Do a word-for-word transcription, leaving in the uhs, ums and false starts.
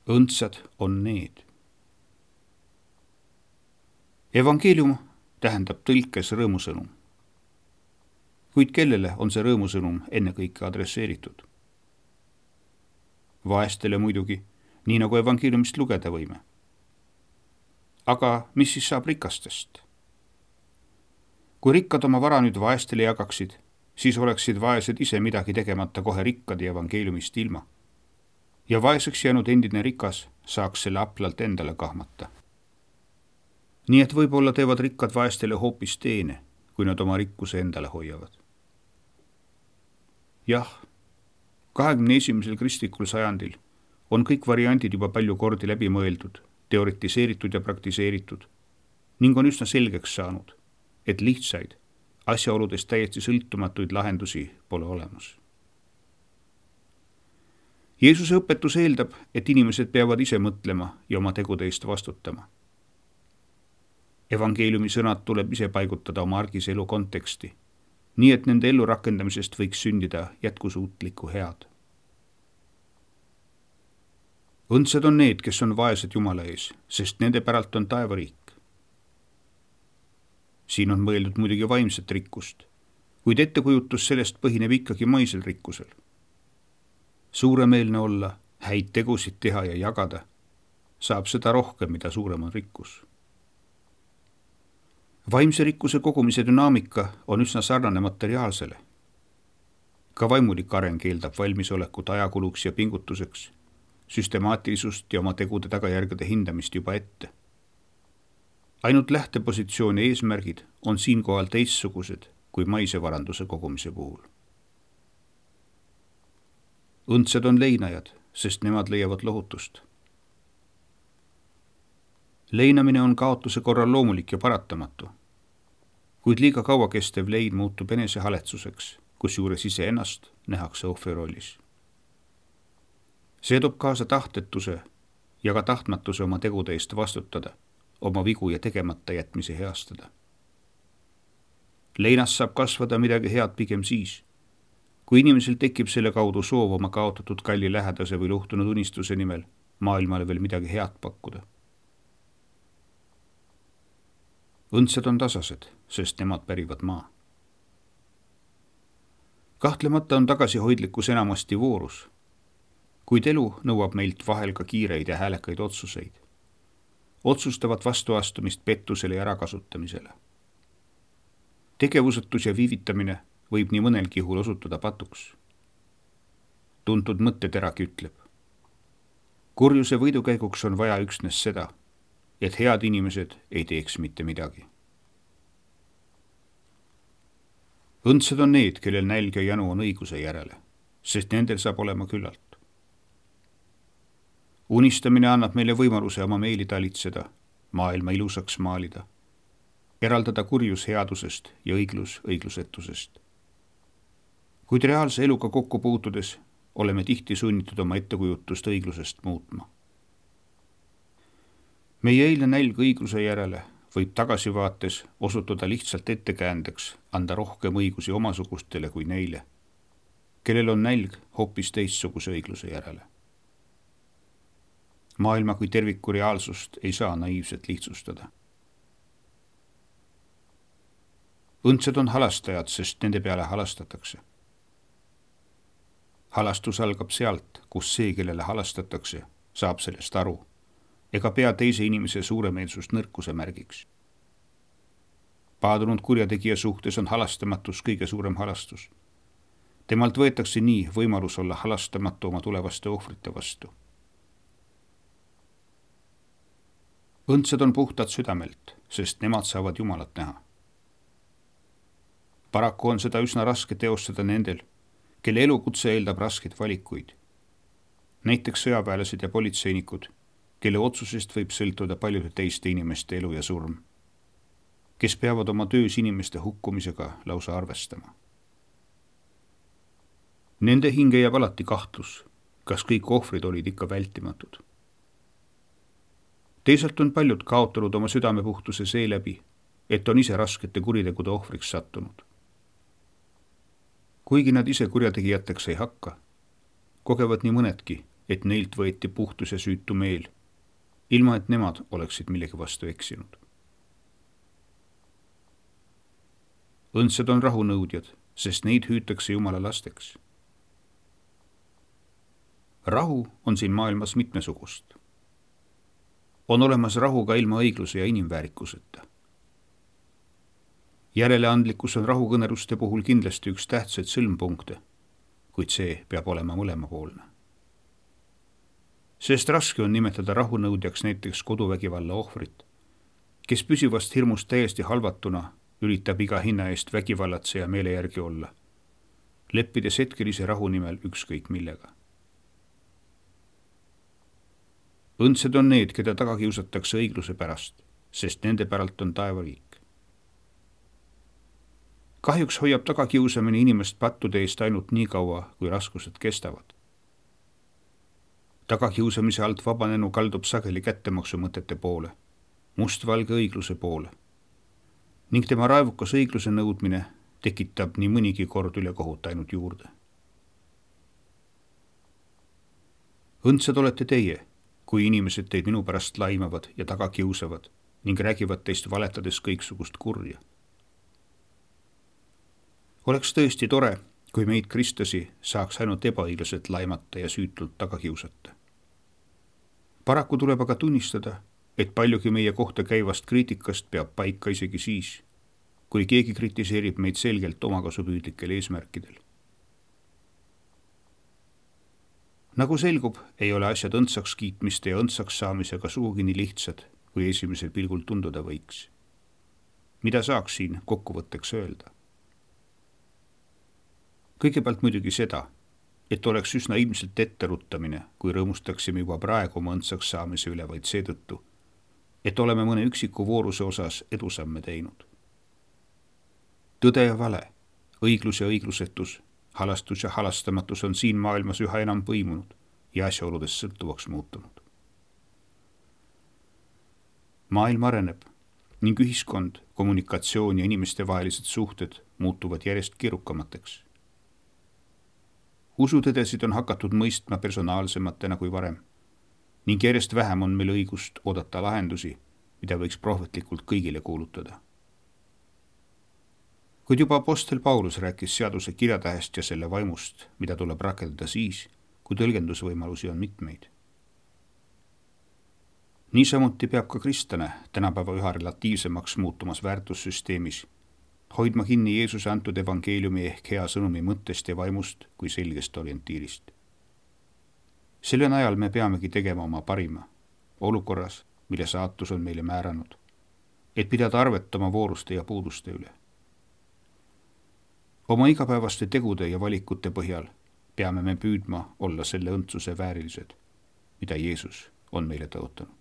Õndsad on need. Evangeelium tähendab tõlkes rõõmusõnum. Kuid kellele on see rõõmusõnum ennekõike adresseeritud? Vaestele muidugi, nii nagu evangeeliumist lugeda võime. Aga mis siis saab rikastest? Kui rikkad oma vara nüüd vaestele jagaksid, siis oleksid vaesed ise midagi tegemata kohe rikkad ja evangeeliumist ilma. Ja vaeseks jäänud endine rikas saaks selle aplalt endale kahmata. Nii et võib-olla teevad rikkad vaestele hoopis teene, kui nad oma rikkuse endale hoiavad. Jah, kahekümne esimesel kristlikul sajandil on kõik variandid juba palju kordi läbi mõeldud, teoritiseeritud ja praktiseeritud ning on üsna selgeks saanud, et lihtsaid, asjaoludest täiesti sõltumatuid lahendusi pole olemas. Jeesuse õpetus eeldab, et inimesed peavad ise mõtlema ja oma tegude eest vastutama. Evangeeliumi sõnad tuleb ise paigutada oma argise elu konteksti, nii et nende ellu rakendamisest võiks sündida jätkusuutlikku head. Õndsad on need, kes on vaesed Jumala ees, sest nende päralt on taevariik. Siin on mõeldud muidugi vaimset rikkust, kuid ettekujutus sellest põhineb ikkagi maisel rikkusel. Suuremeelne olla, häid tegusid teha ja jagada, saab seda rohkem, mida suurem on rikkus. Vaimse rikkuse kogumise dünaamika on üsna sarnane materiaalsele. Ka vaimulik areng eeldab valmisolekut ajakuluks ja pingutuseks, süstemaatilisust ja oma tegude tagajärgede hindamist juba ette. Ainult lähtepositsiooni eesmärgid on siinkohal teistsugused kui maise varanduse kogumise puhul. Õndsad on leinajad, sest nemad leiavad lohutust. Leinamine on kaotuse korral loomulik ja paratamatu, kuid liiga kaua kestev lein muutub enesehaletsuseks, kusjuures iseennast nähakse ohvri rollis. See toob kaasa tahtetuse ja ka tahtmatuse oma tegude eest vastutada, oma vigu ja tegemata jätmise heastada. Leinas saab kasvada midagi head pigem siis, kui inimesel tekib selle kaudu soov oma kaotatud kalli lähedase või luhtunud unistuse nimel maailmale veel midagi head pakkuda. Õndsad on tasased, sest nemad pärivad maa. Kahtlemata on tagasihoidlikkus enamasti voorus, kuid elu nõuab meilt vahel ka kiireid ja häälekaid otsuseid. Otsustavat vastuastumist pettusele ja ärakasutamisele. Tegevusetus ja viivitamine võib nii mõnelgi juhul osutuda patuks. Tuntud mõtteteragi ütleb. Kurjuse võidukäiguks on vaja üksnes seda, et head inimesed ei teeks mitte midagi. Õndsad on need, kellel nälg ja janu on õiguse järele, sest nendel saab olema küllalt. Unistamine annab meile võimaluse oma meeli talitseda, maailma ilusaks maalida, eraldada kurjus headusest ja õiglus õiglusetusest. Kuid reaalse eluga kokku puutudes oleme tihti sunnitud oma ettekujutust õiglusest muutma. Meie eilne nälg õigluse järele võib tagasivaates osutuda lihtsalt ettekäändeks anda rohkem õigusi omasugustele kui neile, kellel on nälg hoopis teistsuguse õigluse järele. Maailma kui terviku reaalsust ei saa naiivselt lihtsustada. Õndsad on halastajad, sest nende peale halastatakse. Halastus algab sealt, kus see, kellele halastatakse, saab sellest aru, ega pea teise inimese suuremeelsust nõrkuse märgiks. Paadunud kurjategija suhtes on halastamatus kõige suurem halastus. Temalt võetakse nii võimalus olla halastamatu oma tulevaste ohvrite vastu. Õndsad on puhtad südamelt, sest nemad saavad Jumalat näha. Paraku on seda üsna raske teostada nendel, kelle elukutse eeldab raskeid valikuid. Näiteks sõjaväelased ja politseinikud, kelle otsusest võib sõltuda paljude teiste inimeste elu ja surm, kes peavad oma töös inimeste hukkumisega lausa arvestama. Nende hinge jääb alati kahtlus, kas kõik ohvrid olid ikka vältimatud. Teisalt on paljud kaotanud oma südamepuhtuse seeläbi, et on ise raskete kuritegude ohvriks sattunud. Kuigi nad ise kurjategijateks ei hakka, kogevad nii mõnedki, et neilt võeti puhtus ja süütu meel, ilma et nemad oleksid millegi vastu eksinud. Õndsad on rahunõudjad, sest neid hüütakse Jumala lasteks. Rahu on siin maailmas mitmesugust. On olemas rahu ka ilma õigluse ja inimväärikuseta. Järeleandlikkus on rahukõneluste puhul kindlasti üks tähtsaid sõlmpunkte, kuid see peab olema mõlemapoolne. Sest raske on nimetada rahunõudjaks näiteks koduvägivalla ohvrit, kes püsivast hirmust täiesti halvatuna üritab iga hinna eest vägivallatseja meele järgi olla, leppides hetkelise rahu nimel ükskõik millega. Õndsad on need, keda taga kiusatakse õigluse pärast, sest nende päralt on taevariik. Kahjuks hoiab tagakiusamine inimest pattude eest ainult nii kaua, kui raskused kestavad. Tagakiusamise alt vabanenu kaldub sageli kättemaksumõtete poole, mustvalge õigluse poole, ning tema raevukas õigluse nõudmine tekitab nii mõnigi kord üle kohut ainult juurde. Õndsad olete teie, kui inimesed teid minu pärast laimavad ja tagakiusavad ning räägivad teist valetades kõiksugust kurja. Oleks tõesti tore, kui meid kristlasi saaks ainult ebaõiglaselt laimata ja süütult tagakiusata. Paraku tuleb aga tunnistada, et paljugi meie kohta käivast kriitikast peab paika isegi siis, kui keegi kritiseerib meid selgelt omakasupüüdlikel eesmärkidel. Nagu selgub, ei ole asjad õndsaks kiitmiste ja õndsaks saamisega sugugi nii lihtsad, kui esimesel pilgul tunduda võiks. Mida saaks siin kokkuvõtteks öelda? Kõigepealt muidugi seda, et oleks üsna ilmselt etteruttamine, kui rõõmustaksime juba praegu oma õndsaks saamise üle vaid seetõttu, et oleme mõne üksiku vooruse osas edusamme teinud. Tõde ja vale, õiglus ja õiglusetus, halastus ja halastamatus on siin maailmas üha enam põimunud ja asjaoludest sõltuvaks muutunud. Maailm areneb ning ühiskond, kommunikatsioon ja inimeste vahelised suhted muutuvad järjest keerukamateks. Usutõdesid on hakatud mõistma personaalsematena kui varem ning järjest vähem on meil õigust oodata lahendusi, mida võiks prohvetlikult kõigile kuulutada. Kuid juba apostel Paulus rääkis seaduse kirjatähest ja selle vaimust, mida tuleb rakendada siis, kui tõlgendusvõimalusi on mitmeid. Niisamuti peab ka kristlane tänapäeva üha relatiivsemaks muutumas väärtussüsteemis, hoidma kinni Jeesuse antud evangeeliumi ehk hea sõnumi mõttest ja vaimust kui selgest orientiirist. Selle najal me peamegi tegema oma parima, olukorras, mille saatus on meile määranud, et pidada arvet oma vooruste ja puuduste üle. Oma igapäevaste tegude ja valikute põhjal peame me püüdma olla selle õndsuse väärilised, mida Jeesus on meile tõotanud.